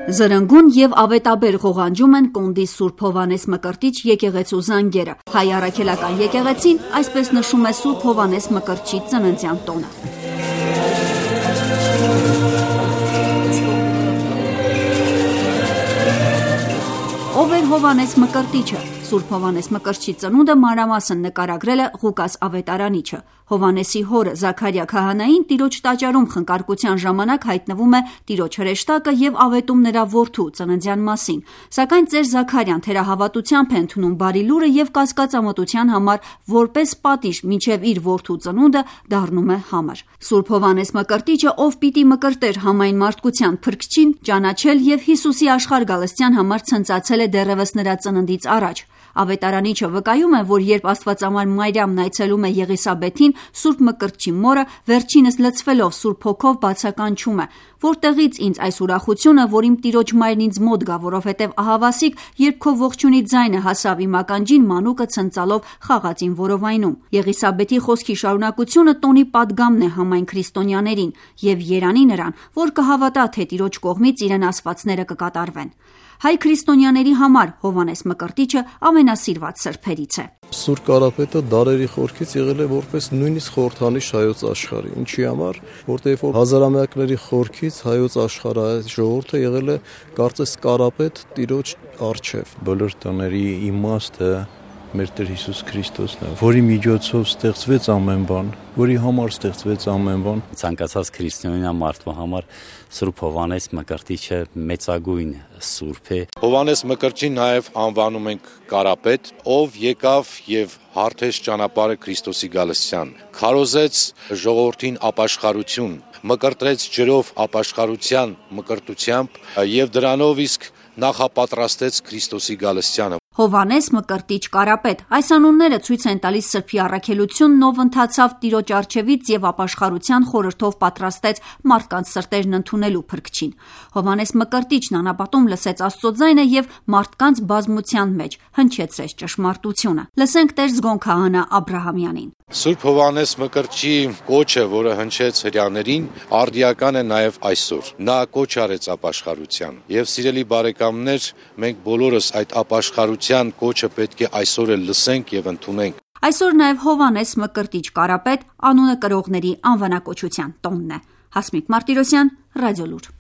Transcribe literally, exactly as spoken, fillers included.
Զրնգուն եւ ավետաբեր ղողանջում են Կոնդի Սուրբ Հովանես Մկրտիչ եկեղեցու զանգերը։ Հայ առաքելական եկեղեցին այսպես նշում է Սուրբ Հովանես Մկրտչի ծննդյան տոնը։ Ով էր Հովանես Մկրտիչը։ Սուրբ Հովանես Մկրտչի ծնունդը մանրամասն նկարագրել է Ղուկաս Ավետարանիչը։ Հովանեսի հորը Զաքարիա քահանային տիրոջ տաճարում խնկարկության ժամանակ հայտնվում է տիրոջ հրեշտակը եւ ավետում նրա որդու ծննդյան մասին, սակայն ծեր Զաքարյան թերահավատությամբ է ընդունում բարի լուրը եւ կասկածամտության համար որպես պատիժ մինչեւ իր որդու ծնունդը դառնում է համր։ Սուրբ Հովանես Մկրտիչը, ով պիտի մկրտեր համայն մարդկության փրկչին, ճանաչել եւ Հիսուսի աշխարհ գալստյան համար ցնծացել է դեռևս նրա ծննդից առաջ։ Ավետարանիչը վկայում է, որ երբ Աստվածամար Մարիամն այցելում է Եղիսաբեթին, Սուրբ Մկրտչի մորը վերջինս լցվելով Սուրբ Հոգով բացականչում է. «Որտեղից ինձ այս ուրախությունը, որ իմ տիրոջ մայրն ինձ մոտ գա, որովհետև ահավասիկ, երբ քո ողջունի ձայնը հասավ իմ ականջին, մանուկը ցնծալով խաղաց իմ որովայնում»։ Եղիսաբեթի խոսքի շարունակությունը տոնի պատգամն է համայն քրիստոնյաներին եւ երանի նրան, որ կհավատա, թե տիրոջ կողմից իրեն ասվածները կկատարվեն։ Հայ քրիստոնյաների համար Հովանես Մկրտիչը ամենասիրված սրբերից է։ Սուրբ Կարապետը դարերի խորքից եղել է որպես նույնիսկ խորհրդանիշ հայոց աշխարհի։ Ինչի համար, որտեղ որ հազարամյակների խորքից հայոց աշխարհը ժողովուրդը եղել է կարծես Կարապետ տիրոջ առջև։ Բոլոր տոների իմաստը մեր Տեր Հիսուս Քրիստոսն է, որի միջոցով ստեղծվեց ամեն բան, որի համար ստեղծվեց ամեն բան։ Ցանկացած քրիստոնյա մարդու համար Սուրբ Հովանես Մկրտիչը մեծագույն սուրբ է։ Հովանես Մկրտչին նաև անվանում ենք Կարապետ, ով եկավ եւ հարթեց ճանապարհը Քրիստոսի գալստյան, քարոզեց ժողովրդին ապաշխարություն, մկրտեց ջրով ապաշխարության մկրտությամբ եւ դրանով իսկ նախապատրաստեց Քրիստոսի գալստյանը։ Հովանես Մկրտիչ Կարապետ։ Այս անունները ցույց են տալիս սրբի առաքելությունն, ով ընթացավ տիրոջ առջևից եւ ապաշխարության խորհրդով պատրաստեց մարդկանց սրտերն ընդունելու փրկչին։ Հովանես Մկրտիչն անապատում լսեց Աստծո ձայնը եւ մարդկանց բազմության մեջ հնչեցրեց ճշմարտությունը։ Լսենք Տեր Զգոն քահանա Աբրահամյանին։ Սուրբ Հովանես Մկրտչի կոչը, որը հնչեց հրեաներին, արդիական է նաև այսօր։ Նա կոչ արեց ապաշխարության։ Եվ սիրելի բարեկամներ, մենք բոլորս այդ ապաշխարության կոչը պետք է այսօր էլ լսենք եւ ընդունենք։ Այսօր նաև Հովանես Մկրտիչ Կարապետ անունը կրողների անվանակոչության տոնն է։ Հասմիկ Մարտիրոսյան, Ռադիոլուր։